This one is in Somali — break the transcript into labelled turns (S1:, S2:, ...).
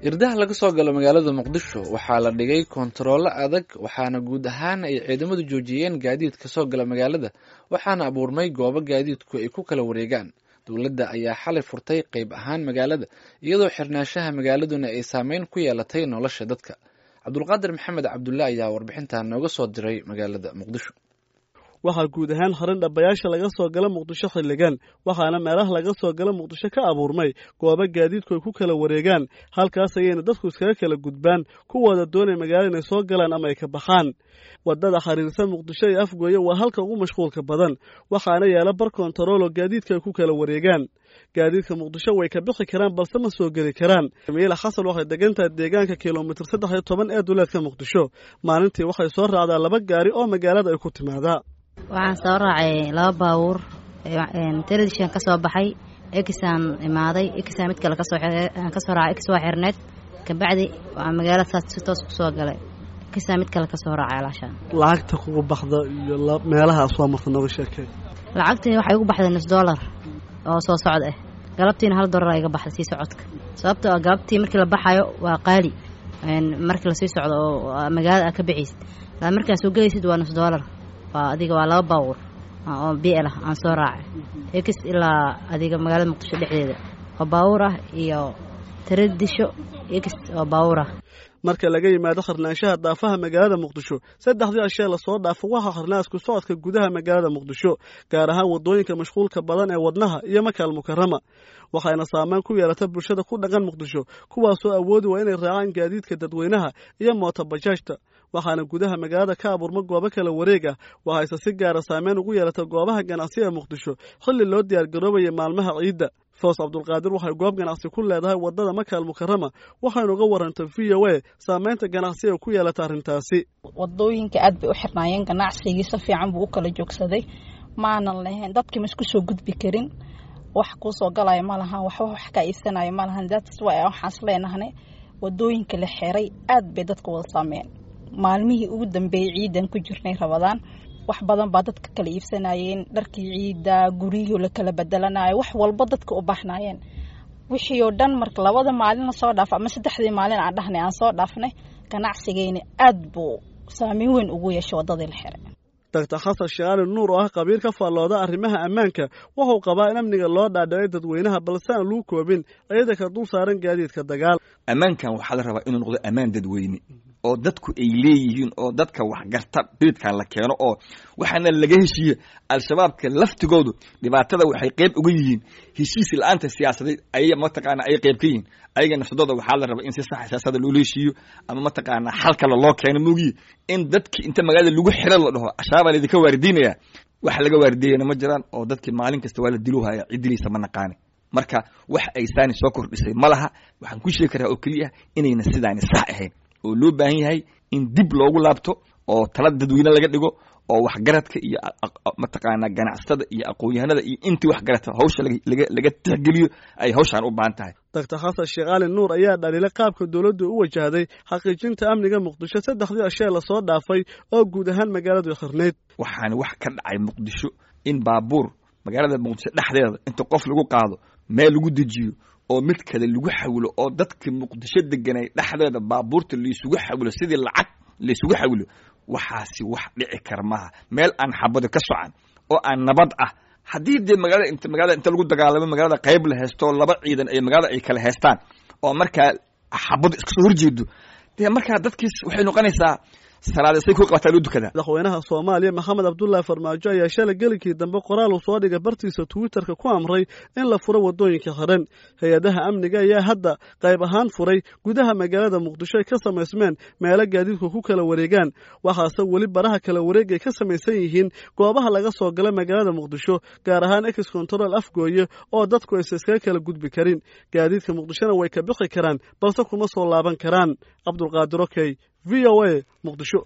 S1: Irdaha laga soo galo magaalada Muqdisho waxaa la dhigay koontaroolo adag, waxaana guud ahaan ay ciidamadu joojiyeen gaadiidka soo gala magaalada, waxaana abuurmay goobo gaadiidku ay ku kala wareegaan. Dowladda ayaa xalay furtay qayb ahaan magaalada, iyadoo xirnaanshaha magaaladuna ay saameyn ku yeelatay nolosha dadka. Cabdulqaadir Maxamed Cabdulle ayaa warbixintan nooga soo diray magaalada Muqdisho.
S2: Waxaa guud ahaan xiran dhabayaasha laga soo gala Muqdisho xilligan, waxaana meelaha laga soo gala Muqdisho ka abuurmay goobo gaadiidku ay ku kala wareegaan. Halkaas ayayna dadku iskaga kala gudbaan kuwooda doonay magaalada inay soo galaan ama ay ka baxaan. Waddada xiriirsan Muqdisho iyo Afgooye waa halka ugu mashquulka badan, waxaana yaala bar kontaroolo gaadiidka ay ku kala wareegaan. Gaadiidka Muqdisho way ka bixi karaan, balse ma soo geli karaan. Miila Xasan waxay degan tahay deegaanka kilomitir 13 ee duleedka Muqdisho. Maalintii waxay soo raacdaa laba gaari oo magaalada ay ku timaadaa.
S3: Waxaan soo raacay laba baabuur. Telefishan ka soo baxay, exaan imaaday, exaan mid kale kasoo raacay. Ex waa xirneed, kabacdi waa magaalada saas si toos kusoo galay. Exaan mid kale kasoo raacay alaashaan.
S2: Lacagta kugu baxda iyo meelaha soo marta nooga sheekay.
S3: Lacagtii waxay ugu baxday nus dollar oo soo socod ah, galabtiina $1 iga baxday sii socodka, sababtoo ah galabtii markii la baxayo waa qaali. Markii lasii socdo oo magaalada aad ka bixaysid, markaa soo gelaysid waa nus dollar. Waa adiga waa laba baabuur oo bl ah aan soo raacay, ex ilaa adiga magaalada Muqdisho dhexdeeda oo baabuur ah iyo taradisho ex oo baabuur ah.
S2: Marka laga yimaado xirnaanshaha daafaha magaalada Muqdisho, saddexdii ashee lasoo dhaafo waxaa xirnaa isku socodka gudaha magaalada Muqdisho, gaar ahaan waddooyinka mashquulka badan ee Wadnaha iyo Makaal Mukarama. Waxayna saameyn ku yeelata bulshada ku dhaqan Muqdisho, kuwaasoo awoodi waa inay raacaan gaadiidka dadweynaha iyo mootobajaajta. Waxaana gudaha magaalada ka abuurma goobo kala wareeg ah. Waxayse si gaara saameyn ugu yeelata goobaha ganacsi ee Muqdisho xilli loo diyaargaroobayay maalmaha ciidda. Foos Cabdulqaadir waxay goob ganacsi ku leedahay waddada Makaal Mukarama. Waxaynu uga warantay VOA saameynta ganacsi ee ku yeelata arrintaasi.
S4: Wadooyinka aad bay u xirnaayeen, ganacsigii si fiican buu u kala joogsaday. Maanan lahayn dadkii ma isku soo gudbi karin, wax kuu soo galaya ma lahan, waxba wax kaa iibsanaya ma lahan. That's why waxaas leenahnay wadooyinka la xiray aad bay dadka wada saameeyeen. Maalmihii ugu dambeeyey ciidan ku jirnay Rabadaan, wax badan baa dadka kala iibsanayeen, dharkii ciidda, guryihii la kala bedelanayo, wax walba dadka u baahnayeen, wixii oo dhan. Marka labada maalin la soo dhaafo ama saddexdii maalin aan dhahnay aan soo dhaafnay, ganacsigeyna aad buu saameyn weyn ugu yeeshay waddadii la xiray.
S2: Doctor Xasan Sheekh Ali Nuur oo ah khabiir ka faallooda arrimaha ammaanka wuxuu qabaa in amniga loo dhaadhicay dadweynaha, balse aan lagu koobin ciidanka dul saaran gaadiidka dagaal.
S5: Ammaankan waxaa la rabaa inuu noqdo ammaan dadweyne oo dadku ay leeyihiin, oo dadka waxgarta biridkan la keeno, oo waxaana laga heshiiye. Al-Shabaabka laftigoodu dhibaatada waxay qeyb uga yihiin heshiis la-aanta siyaasadeed ay mataqaana ay qeyb ka yihiin. Ayaga nafsadooda waxaa la rabaa in si sax siyaasada loola heshiiyo ama mataqaana xal kale loo keeno moogiye, in dadki inta magaalada lagu xiro la dhaho Al-Shabaabaa laydinka waardiinaya, wax laga waardiiyana ma jiraan, oo dadki maalin kasta waa la diluhaya, ciddiliisa ma naqaani. Marka wax ay saani soo kordhisay ma laha. Waxaan ku sheegi karaa oo keliya inayna sidaani sax ahayn, oo loo baahan yahay in dib loogu laabto oo tala dadweyne laga dhigo, oo waxgaradka iyo mataqaanaa ganacsatada iyo aqoon-yahanada iyo intii waxgarata hawsha laga tixgeliyo ay hawshaan u baahan tahay.
S2: Doctor Xasan Sheekh Ali Nuur ayaa dhaliilay qaabka dowladdu u wajahday xaqiijinta amniga Muqdisho saddexdii ashee lasoo dhaafay oo guud ahaan magaaladu xirnayd.
S5: Waxaana wax ka dhacay Muqdisho in baabuur magaalada Muqdisho dhexdeeda inta qof lagu qaado, meel lagu dejiyo oo mid kale lagu xawilo, oo dadka Muqdisho deganay dhexdeeda baabuurta laysugu xawilo sidii lacag laysugu xawilo. Waxaasi wax dhici kara maaha meel aan xabado ka socan oo aan nabad ah. Haddii dee magaalada int magaalada inta lagu dagaalamo, magaalada qayb la haysto, laba ciidan ay magaalada ay kala haystaan, oo markaa xabado iska soo horjeedo, dee markaa dadkiis waxay noqonaysaa salaadasay ku qabataa loo dukadaa.
S2: Madaxweynaha Soomaaliya Maxamed Cabdullaahi Farmaajo ayaa shalay gelinkii dambe qoraal uu soo dhigay bartiisa Twitterka ku amray in la furo waddooyinka xiran. Hay-adaha amniga ayaa hadda qayb ahaan furay gudaha magaalada Muqdisho ay ka samaysmeen meelo gaadiidku ku kala wareegaan, waxaase weli baraha kala wareeg ay ka samaysan yihiin goobaha laga soo gala magaalada Muqdisho, gaar ahaan ex control Afgooye, oo dadku aysa iskaga kala gudbi karin. Gaadiidka Muqdishona way ka bixi karaan, balse kuma soo laaban karaan. Cabdulqaadir Okey, VOA, Muqdisho.